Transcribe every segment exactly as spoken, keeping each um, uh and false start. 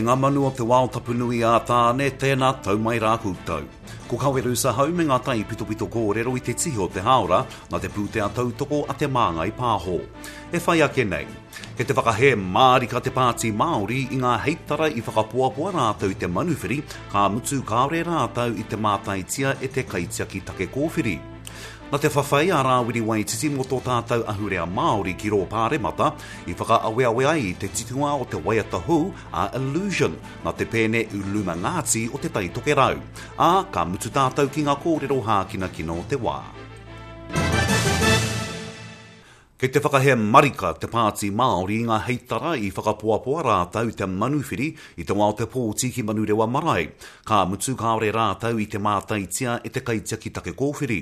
ngā manu o te wao tapu nui a Tāne, tēnā tau mai rā koutou. Ko Kawerusa hau me ngā tai pitopito kōrero i te tihi o te hāora, nā te pūtea tautoko a Te Māngai Pāho. E whai ake nei, kei te whakahē mārika te Pāti Māori i ngā heitara i whakapoapoa rātou i te manuwhiri, ka mutu kāore rātou i te mātaitia e te kaitiaki take kōwhiri. Nā te whawhai a Rāwiri Waititi mō tō tātou ahurea Māori ki rō Pāremata i whakaaweawe ai i te titonga o te waiata hou a Illusion nā te pēne Uluma Ngāti o Te Tai Tokerau. Ā, ka mutu tātou ki ngā kōrero hākinakina o te wā. Kei te whakahē marika te Pāti Māori i ngā heitara i whakapoapoa rātou i te manuwhiri i te wā o te pōti ki Manurewa Marae. Ka mutu kāore rātou i te mātaitia e te kaitiaki take kōwhiri.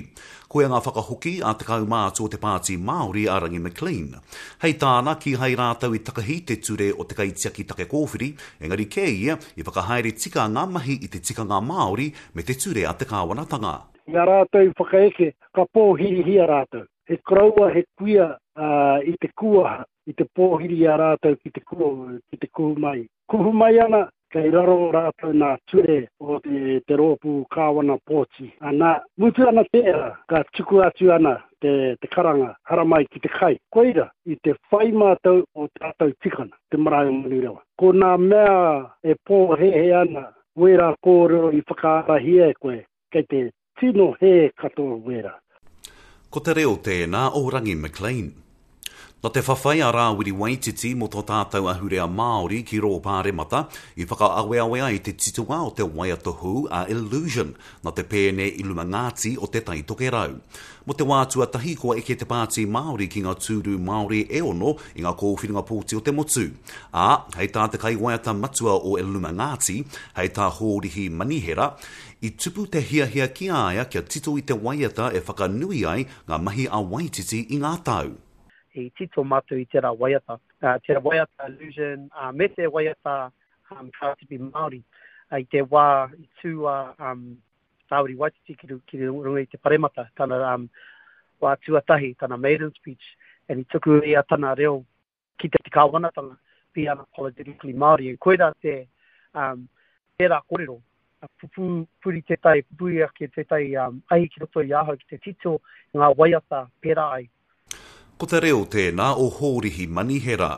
Koia ngā whakahoki a te kaumātua o te Pāti Māori a Rangi McLean. Hei tāna, kīhai rātou i takahi te ture o te kaitiaki take kōwhiri, engari kē ia i whakahaere tika ngā mahi i te tikanga Māori me te ture a te kāwanatanga. I a rātou i whakaeke, ka pōhirihia rātou. He koroua, he kuia uh, i te kuaha, i te pōhiri i a rātou ki te, kuhu, ki te kuhu mai. Kuhu mai ana, kei raro rātou nā ture o te, te rōpū kāwana pōti. Ana, mutu ana tērā, ka tuku atu ana te, te karanga, haramai ki te kai. Koira, i te whai mātou o tātou tikana, te marae o Manurewa. Ko nā mea e pōhehe ana, wērā kōrero i whakaarahia e koe, kei te tino hē katoa wērā. Ko te reo tēnā o Rangi McLean. Nā te whawhai a Rāwiri Waititi mō tō tātou ahurea Māori ki rō Pāremata i whakaaweawe ai te titonga o te waiata hou a Illusion nā te pēne Iluma Ngāti o Te Tai Tokerau. Mō te wā tuatahi kua eke te Pāti Māori ki ngā tūru Māori e ono i ngā kōwhiringa pōti o te motu. Ā, hei tā te kaiwaiata matua o Iluma Ngāti, hei tā Hōrihi Manihera, i tupu te hiahia ki a ia kia tito i te waiata e whakanui ai ngā mahi a Waititi i ngā tau. I tito mātou i tērā waiata. Uh, tērā waiata Illusion, uh, me te waiata um, Karatipi Māori. Uh, i te wā i tū a um, Rāwiri Waititi ki, ki runga i te paremata, tana um, wā tuatahi, tana maiden speech, and i tuku ia tana reo ki te kāwanatanga, be unapologetically Māori. And koira te um, tērā kōrero, pupu, puri tētai, pupuri ake tētai um, ahi ki roto i ahau ki te tito ngā waiata pērā ai. Ko te reo tēnā o Hōrihi Manihera.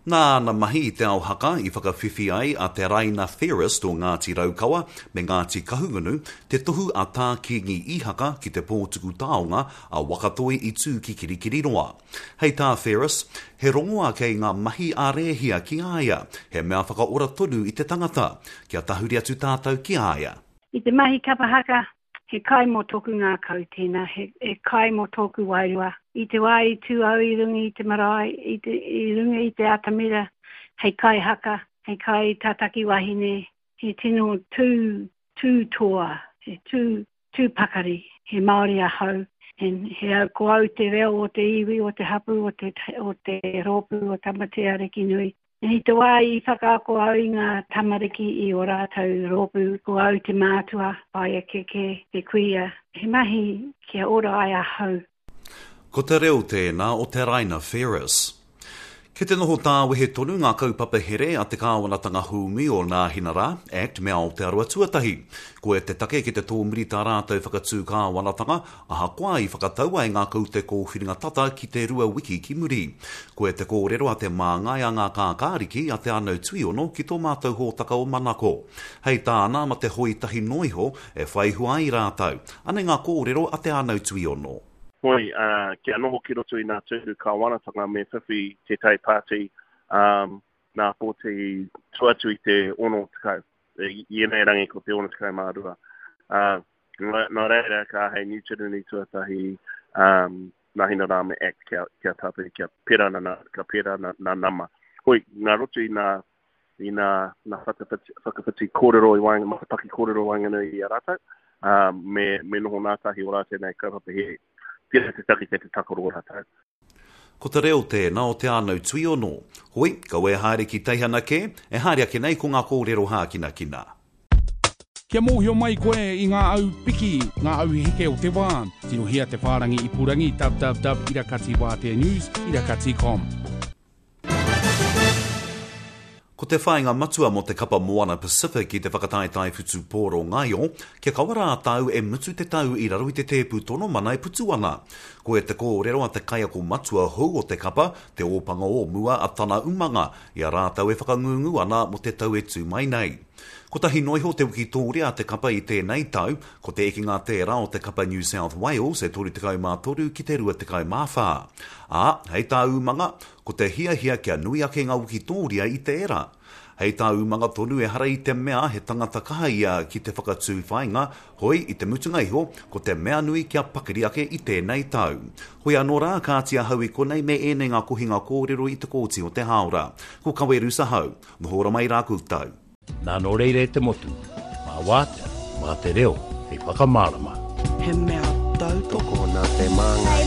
Nā ana mahi i te ao haka i whakawhiwhi ai a Te Raina Ferris o Ngāti Raukawa me Ngāti Kahungunu te tohu a Tā Kīngi Ihaka ki te pōtuku taonga a Wakatoi i tū ki Kirikiriroa. Hei tā Ferris, he rongoa kei ngā mahi a Rēhia ki a ia, he mea whakaora tonu i te tangata, kia tahuri atu tātou ki a ia. I te mahi kapa haka, he kai mō tōku ngākau tēnā, he, he kai mō tōku wairua. I te wā i tū au i runga i te marae, i, te, i runga i te atamira, hei kai haka, hei kai tataki wahine, he tino tū, tū toa, he tū, tū pakari, he Māori ahau, he, he au, ko au te reo o te iwi, o te hapu, o te, o te rōpū, o Tamatea Arikinui. I te wā i whakaako au i ngā tamariki i o rātou rōpū, ko au te mātua, whaea keke, te kuia, he mahi kia ora ai ahau. Ko te reo tēnā o Te Raina Ferris. Kei te noho tāwehe tonu ngā kaupapa here a te kāwanatanga hūmi o Nāhinara, Act me Aotearoa Tuatahi. Koia te take ki te tōmuri tā rātou whakatū kāwanatanga, ahakoa i whakatau ai ngā kaute kōwhiringa tata ki te rua wiki ki muri. Koia te kōrero a te māngai a ngā kākāriki a Te Anau Tuiono ki tō mātou hōtaka o Manako. Hei tāna ma te hoi tahi noa iho e whai hua ai rātou. Anei ngā kōrero a Te Anau Tuiono. Hoi, uh, kia noho ki roto i ngā tūru kāwanatanga me whiwhi tētahi pāti um, nā pōti tua atu i te ono tekau. I, i ēnei rangi ko te ono tekau mā rua. Uh, nā, nā reira ka hei New Tirani tuatahi um, Nāhinara me Act kia, kia tāpiri, kia pērā nā, ka pērā nā, nā nama. Hoi, ngā roto i ngā, i ngā, ngā whakawhiti, whakawhiti kōrero i waenga, matapaki kōrero waenganui i a rātou, um, me, me noho ngātahi o rātou nei kaupapa here. Tērā te take kei te takaro o rātou. Ko te reo tēnā o Te Anau Tuiono. Hoi, kaua e haere ki teihana kē, e haere ake nei ko ngā kōrero hākinakina. Kia mōhio mai koe i ngā au piki, ngā au heke o te wā, tirohia te whārangi ipurangi www irakati wātea news irakati com. Ko te Ko te whāinga matua mō te kapa Moana Pacific i te whakataetae whutupōro ngaio, kia kaua rātou e mutu te tau i raro i te tēpu tono mana e putu ana. Koia te kōrero a te kaiako matua hou o te kapa, te ōpanga o mua a Tana Umanga, i a rātou e whakangungu ana mō te tau e tū mai nei. Kotahi noa iho te wikitōria a te kapa i tēnei tau, ko te ekenga tērā o te kapa New South Wales e toru tekau mā toru ki te rua tekau mā whā. Ā, hei tā Umanga, ko te hiahia kia nui ake ngā wikitōria i tērā. Hei tā Umanga tonu ehara i te mea he tangata kaha ia ki te whakatū whāinga, hoi i te mutunga iho, ko te mea nui kia pakari ake i tēnei tau. Hoi anō rā, kāti ahau i konei me ēnei ngā kohinga kōrero i te kōti o te hāora. Ko Kaweru Sahau, noho ora mai rā koutou. Nā nō reira e te motu, mā wātea, mā te reo, hei whakamārama. He mea tautoko nā Te Māngai